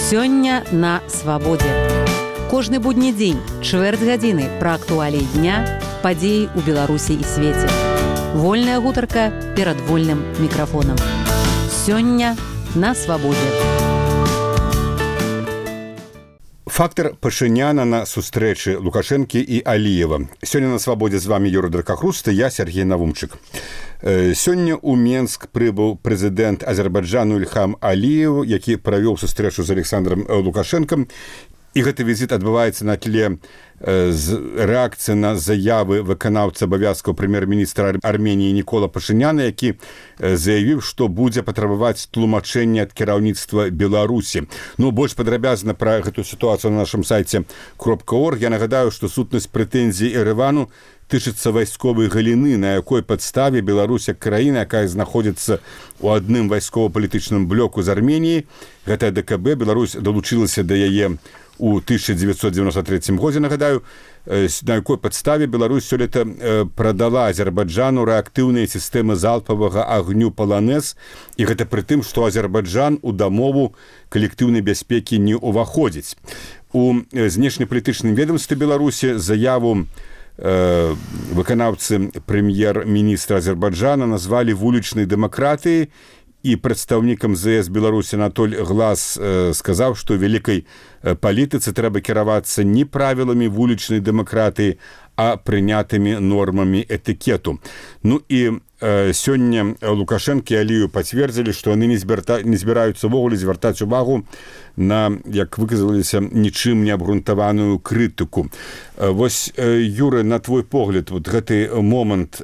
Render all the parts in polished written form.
Сёння на свабодзе. Кожны будні дзень, чвэрць гадзіны пра актуаліі дня, падзеі ў Беларусі і свеце. Вольная гутарка перад вольным мікрафонам. Сёння на свабодзе. Фактор Пашыняна на сустрэчы Лукашэнкі і Аліева. Сёння на свабодзе з вами Юрий Дракахруст і я, Сергей Навумчык. Сёння ў Менск прыбыў прэзідэнт Азербайджану Ильхам Аліев, які правёў сустрэчу з Александром Лукашэнкам. І гэты візіт адбываецца на тле рэакцыі на заявы выканаўцы абавязкаў прэм'ер-міністра Арменіі Нікола Пашыняна, які заявіў, што будзе патрабаваць тлумачэння ад кіраўніцтва Беларусі. Больш падрабязна пра гэтую сітуацыю на нашым сайце .org. Я нагадаю, што сутнасць прэтэнзій Еревану тычыцца вайсковай галіны, на якой падставе Беларусь як краіна, якая знаходзіцца ў адным вайскова-палітычным блоку з Арменіі, гэтая ДКБ, Беларусь далучылася да яе у 1993 годзе, нагадаю, на якой падставе Беларусь сёлета прадала Азербайджану рэактыўныя сістэмы залпавага агню «Полонез», і гэта пры тым, што Азербайджан у дамову калектыўнай бяспекі не ўваходзіць. У знешнепалітычным ведомстве Беларусі заяву выканаўцы прэм'ер-міністра Азербайджана назвалі вулічнай дэмакратыяй, і прадстаўнікам ЗС Беларусі Анатоль Глас сказаў, што вялікай палітыцы трэба кіравацца не правіламі вулічнай дэмакратыі, а прынятымі нормамі этыкету. І сёння Лукашэнкі і Аліеў пацвердзілі, што яны не збіраюцца ўвогуле звяртаць увагу на, як выказаліся, нічым не абгрунтаваную крытыку. Вось, Юры, на твой погляд, гэты момант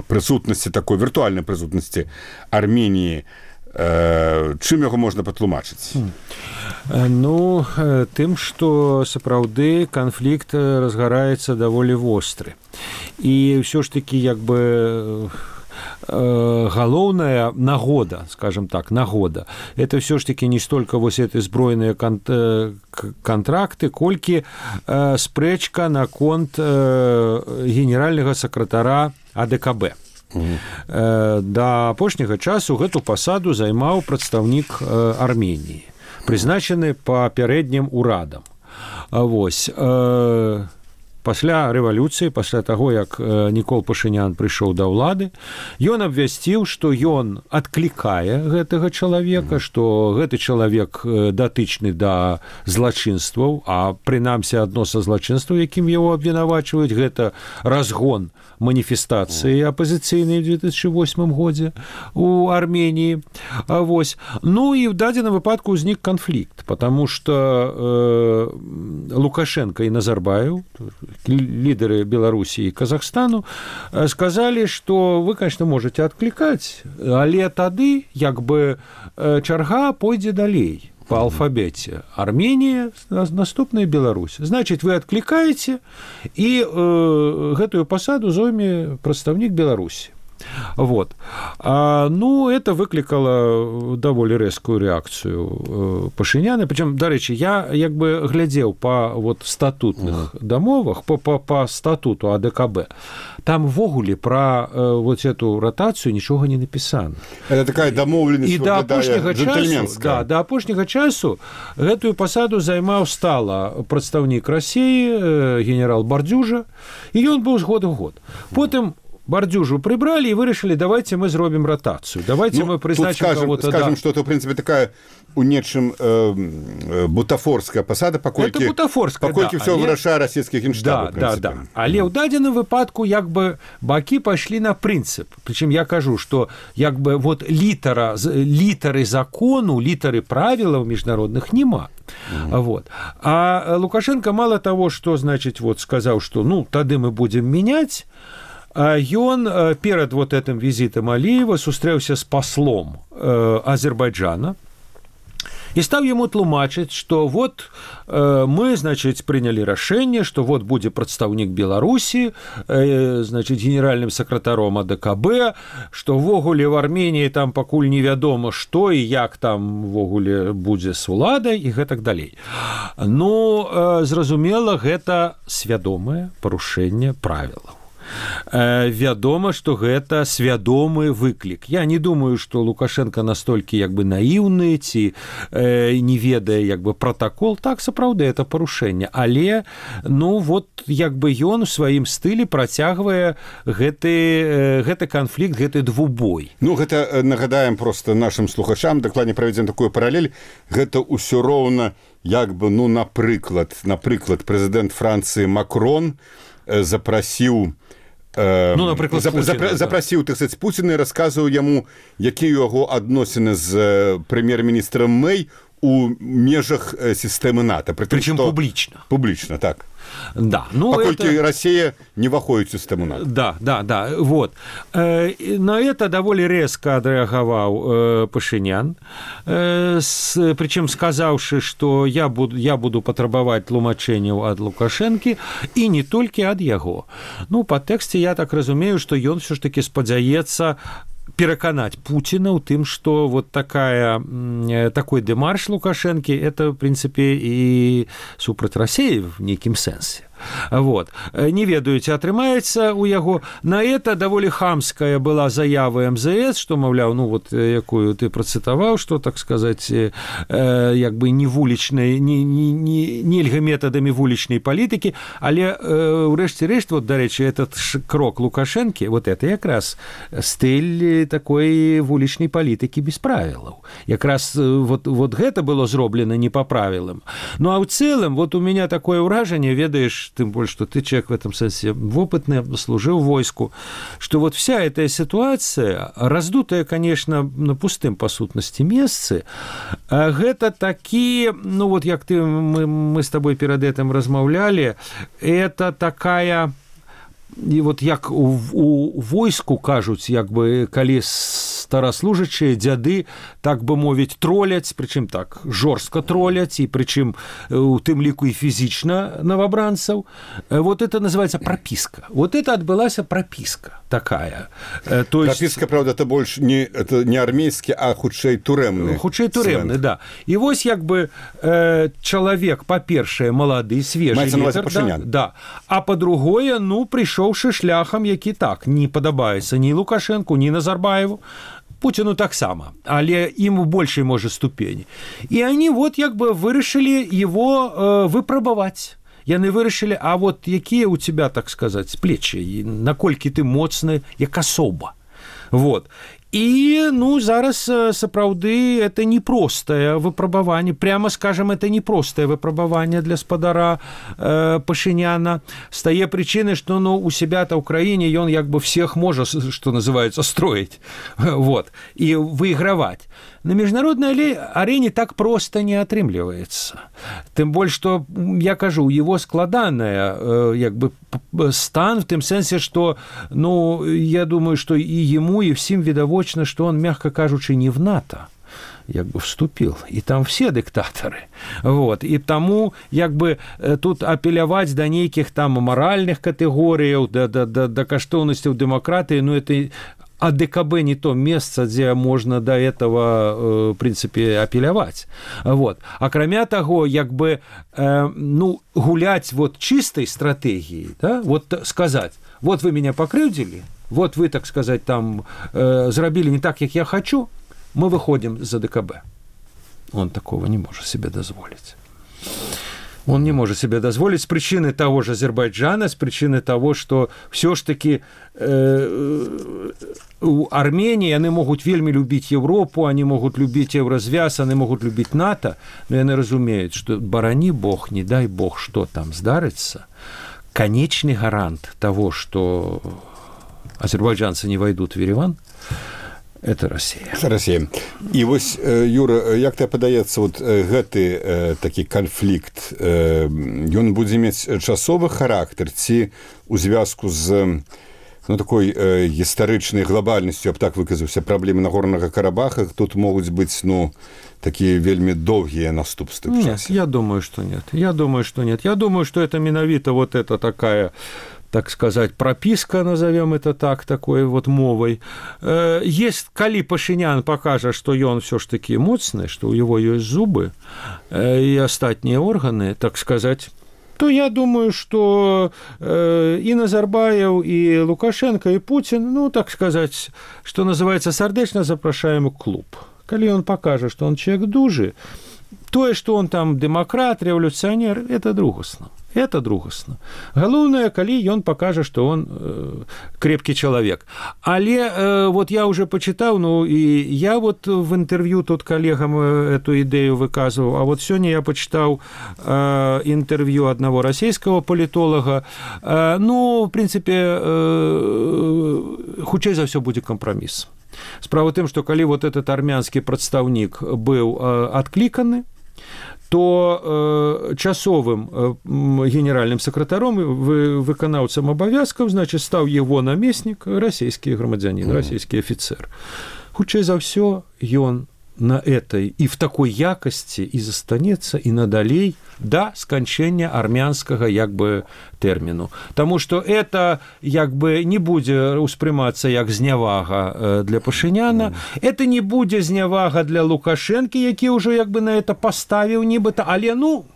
прысутнасці, такой віртуальнай прысутнасці Арменіі, чым яго можна патлумачыць? Тым, што сапраўды канфлікт разгараецца даволі востры. І ўсё ж такі, галоўная нагода, скажем так, нагода, это все ж таки не столько вось эти збройныя контракты, колькі спрэчка наконт генеральнага сакратара АДКБ. Да апошняга часу гэту пасаду займаў прадстаўнік Арменіі, прызначаны папярэднім урадам. Вось. Пасля рэвалюцыі, пасля таго, як Нікол Пашынян прыйшоў да ўлады, ён абвясціў, што ён адклікае гэтага чалавека, што гэты чалавек датычны да злачынстваў, а прынамсі адно са злачынстваў, якім яго абвінавачваюць, гэта разгон маніфестацыі апазіцыйнай ў 2008 годзе у Арменіі. Вось. І ў дадзеным выпадку ўзнік канфлікт, потому што Лукашенко і Назарбаев, лідеры Беларусі і Казахстану, сказалі, што вы, конечно, можете адклікаць, але тады чарга пойдзе далей по алфабеце. Арменія, наступная Беларусь. Значит, вы адклікаеце, і гэтую пасаду зойме прадстаўнік Беларусі. Вот. Это выклікала даволі рэзкую рэакцыю Пашыняна. Причем, дарэчы, я глядзеў па статутных дамовах, па статуту АДКБ. Там ввогуле пра эту ратацыю нічога не напісана. Это такая дамоўленасць, і да апошняга часу гэтую пасаду займаў стала прадстаўнік Расіі, генерал Бардзюжа, і ён быў з года ў год. Потым Бардзюжу прибрали и вырашили, давайте мы зробим ротацию, давайте мы призначим кого-то. Скажем, что это, в принципе, такая у нечым бутафорская посада, покольки все вырашае расійскі генштаб. Да. Але ў дадзеным выпадку бакі пайшлі на прынцып. Причем я кажу, что літары закону, літары правілаў міжнародных нема. Вот. А Лукашенко мало того, что, сказал, что тады мы будем менять, ён перад этим візітам Аліева сустрэўся з паслом Азербайджана і стаў яму тлумачыць, што мы, прынялі рашэнне, што будзе прадстаўнік Беларусі, генеральным сакратаром АДКБ, што ввогуле в Арменіі там пакуль невядома, што і як там ввогуле будзе з уладай і гэтак далей. Зразумела, гэта свядомае парушэнне правілаў. Вядома, што гэта свядомы выклік. Я не думаю, што Лукашенко настолькі як бы наіўны ці не ведае як бы пратакол. Так, сапраўды, это парушэнне. Але, ну, вот як бы ён у сваім стылі працягвае гэты канфлікт, гэты двубой. Ну, гэта нагадаем просто нашим слухачам, дакладней правядзем такую паралель, гэта ўсё роўна як бы, ну, напрыклад, прэзідэнт Францыі Макрон запрасіў запрасіў, так сказать, Пуціна і расказваў яму, якія яго адносіны з прэм'ер-міністрам Мэй у межах сістэмы НАТО. Причем публічна. Публічна, так. Да, ну паколькі это... Россия не выходит в систему НАТО. Да, вот. На это довольно резко отреагировал Пашинян, причем сказавши, что я буду потребовать тлумачения от Лукашенко, и не только от его. Ну, по тексте я так разумею, что он все-таки спадзяецца пераканаць Путина ў тым, што вот такой дэмарш Лукашэнкі это, в принципе, і супраць России в нейкім сэнсе. Вот. Не ведаю, ці атрымаецца у яго. На это даволі хамская была заява МЗС, што, маўляў, ну вот якую ты працытаваў, што, так сказаць, як бы не вулічнай, нельга метадамі вулічнай палітыкі, але ўрэшце рэшт, вот, дарэчы, этот крок Лукашэнкі, вот это якраз стыль такой вулічнай палітыкі без правілаў. Якраз вот гэта было зроблена не па правілам. Ну, а ў цэлым, вот у меня такое ўражанне, ведаеш, тем более, что ты человек в этом смысле опытный, служил в войску, что вот вся эта ситуация, раздутая, конечно, на пустым, по сутности, месцы, это такие, ну вот, как мы с тобой перед этим размаўлялі, это такая... І вот як у войску кажуць, як бы, калі стараслужачыя дзяды, так бы мовіць, троляць, прычым так жорстка троляць, і прычым у тым ліку і фізічна новобранцаў. Вот это называется прописка. Вот это отбылася прописка такая. То есть... Прописка, правда, это больше не армейский, а хутчэй турэмны. Хутчэй турэмны, да. І вось як бы чалавек, па-першае, малады, свежы ветер, да, а па-другое, ну, прыйшоўшы шляхам, які так не падабаецца ні Лукашенку, ні Назарбаеву, Путину таксама, але ім у большай, можа, ступені. І они вот як бы вырашылі его выпрабаваць. Яны вырашылі, а вот якія у тебя, так сказаць, плечы, наколькі ты моцны, як асоба. Вот. І, ну, зараз, сапраўды, это непростае выпрабаванне, прямо скажем, это непростае выпрабаванне для спадара Пашиняна, з тае прычыны, што, ну, у себя-то ў краіне ён як бы всех можа, што называется, строить, вот, і выиграваць. На международной арене так просто не атрымліваецца. Тым больш, што, я кажу, у его складаная як бы стан в тым сэнсе, што, ну, я думаю, што і ему, і всім відавочна, што он, мягко кажучы, не в НАТО як бы вступил, и там все диктаторы. Вот. И тому як бы тут апеляваць да нейкіх там моральных катэгорыяў, да каштоўнасцяў дэмакратыі, ну, это АДКБ не то место, где можно до этого, в принципе, апеляваць. Вот. Акрамя таго, як бы, ну, гулять вот чистой стратегией, да, вот сказать, вот вы меня покрыўдзілі, вот вы, так сказать, там зрабілі не так, як я хочу, мы выходим за ДКБ. Он такого не может себе дозволить. Он не может себе дозволить с причины того же Азербайджана, с причины того, что все ж таки у Армении они могут вельми любить Европу, они могут любить Еврозвяз, они могут любить НАТО, но они разумеют, что барани Бог, не дай Бог, что там здарится, конечный гарант того, что азербайджанцы не войдут в Ереван, это Россия. Это Россия. І вось, Юра, як тебе падаецца, вот гэты такі канфлікт, ён будзе мець часовы характар ці у звязку з, ну, такой гістарычнай глобальнасцю, я б так выказаўся, праблемы Нагорнага Карабаха, тут могуць быць, ну, такие вельмі доўгія наступствы в часе? Нет, я думаю, что нет. Я думаю, что это менавіта вот это такая, так сказать, прописка, назовем это так, такой вот мовой. Есть, калі Пашинян покажа, что ён все ж таки моцны, что у него есть зубы и остатние органы, так сказать, то я думаю, что и Назарбаев, и Лукашенко, и Путин, ну, так сказать, что называется, сардечно запрашаем у клуб. Коли он покажет, что он человек дужий, то, что он там демократ, революционер, это другосно. Это другосно. Галоўнае, калі ён пакажа, што он крепкі чалавек. Але вот я уже почитал, ну и я вот в интервью тут коллегам эту идею выказывал, а вот сегодня я почитал интервью одного российского политолога. Ну, в принципе, хутчэй за все будет компромисс. Справа ў тым, што калі вот этот армянскі прадстаўнік быў адкліканы, то часовым генеральным сакратаром, выканаўцам абавязкаў, значит, стаў его намеснік, расійскі грамадзянін, расійскі афіцэр. Хутчэй за ўсё, ён на этой и в такой якости и застанецца и надалей до сканчэння армянскага як бы тэрміну. Таму што это як бы не будзе ўспрымацца як знявага для Пашыняна, это не будзе знявага для Лукашэнкі, які ўжо як бы на это паставіў нібыта, але ну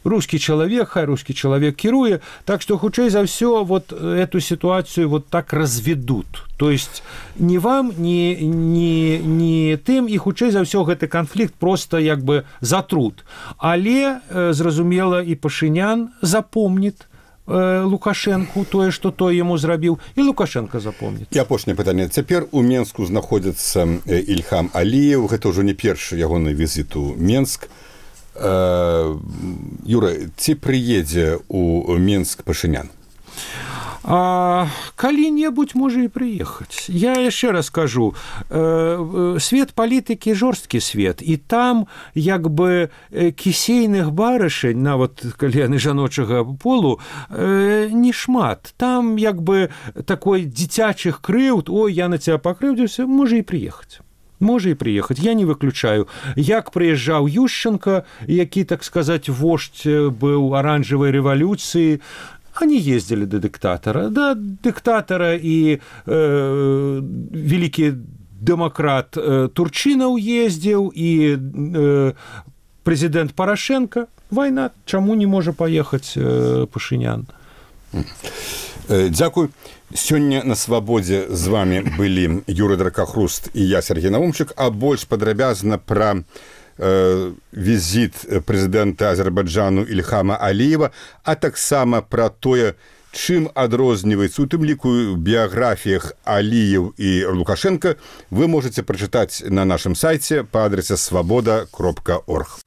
русский человек, хай русский человек кіруе, так что хутчэй за все вот эту ситуацию вот так разведут. То есть ни вам, ни тым, и хутчэй за все гэты конфликт просто як бы затрут. Але, зразумела, и Пашынян запомнит Лукашенку тое, што той яму зрабіў, і Лукашенко запомніць. І апошняе пытанне. Цяпер у Менску знаходзіцца Ільхам Аліеў, гэта ўжо не першы ягоны візіт у Менск. Юра, ці прыедзе у Менск Пашынян? Калі-небудзь можа і прыехаць. Я яшчэ раз кажу, свет палітыкі жорсткі свет, і там як бы кісейных барышень, нават калі яны жаночага полу, не шмат. Там як бы такой дзіцячых крыўд, ой, я на цябе пакрыўдзіўся, можа і прыехаць. Можа і прыехаць, я не выключаю. Як прыязджаў Ющенко, які, так сказать, вождь быў аранжавай рэвалюцыі, они ездили до диктатора. Да, диктатора и великий демократ Турчинов ездил, и президент Порошенко. Война, чему не может поехать Пашынян? Дзякуй. Сёння на свабодзе з вами былі Юрий Дракахруст і я, Сергей Навумчык, а больш падрабязна пра візіт прэзідэнта Азербайджану Ільхама Аліева, а таксама пра тое, чым адрозніваецца, у тым ліку ў біяграфіях Аліеў і Лукашенка, вы можете прачытаць на нашым сайце па адрасе свабода.орг.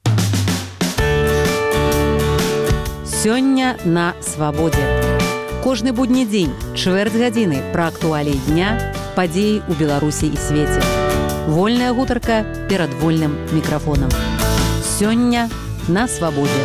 Сёння на свабодзе. Кожны будні дзень, чвэрць гадзіны пра актуаліі дня, падзеі ў Беларусі і свеце. Вольная гутарка перад вольным мікрафонам. Сёння на свабодзе.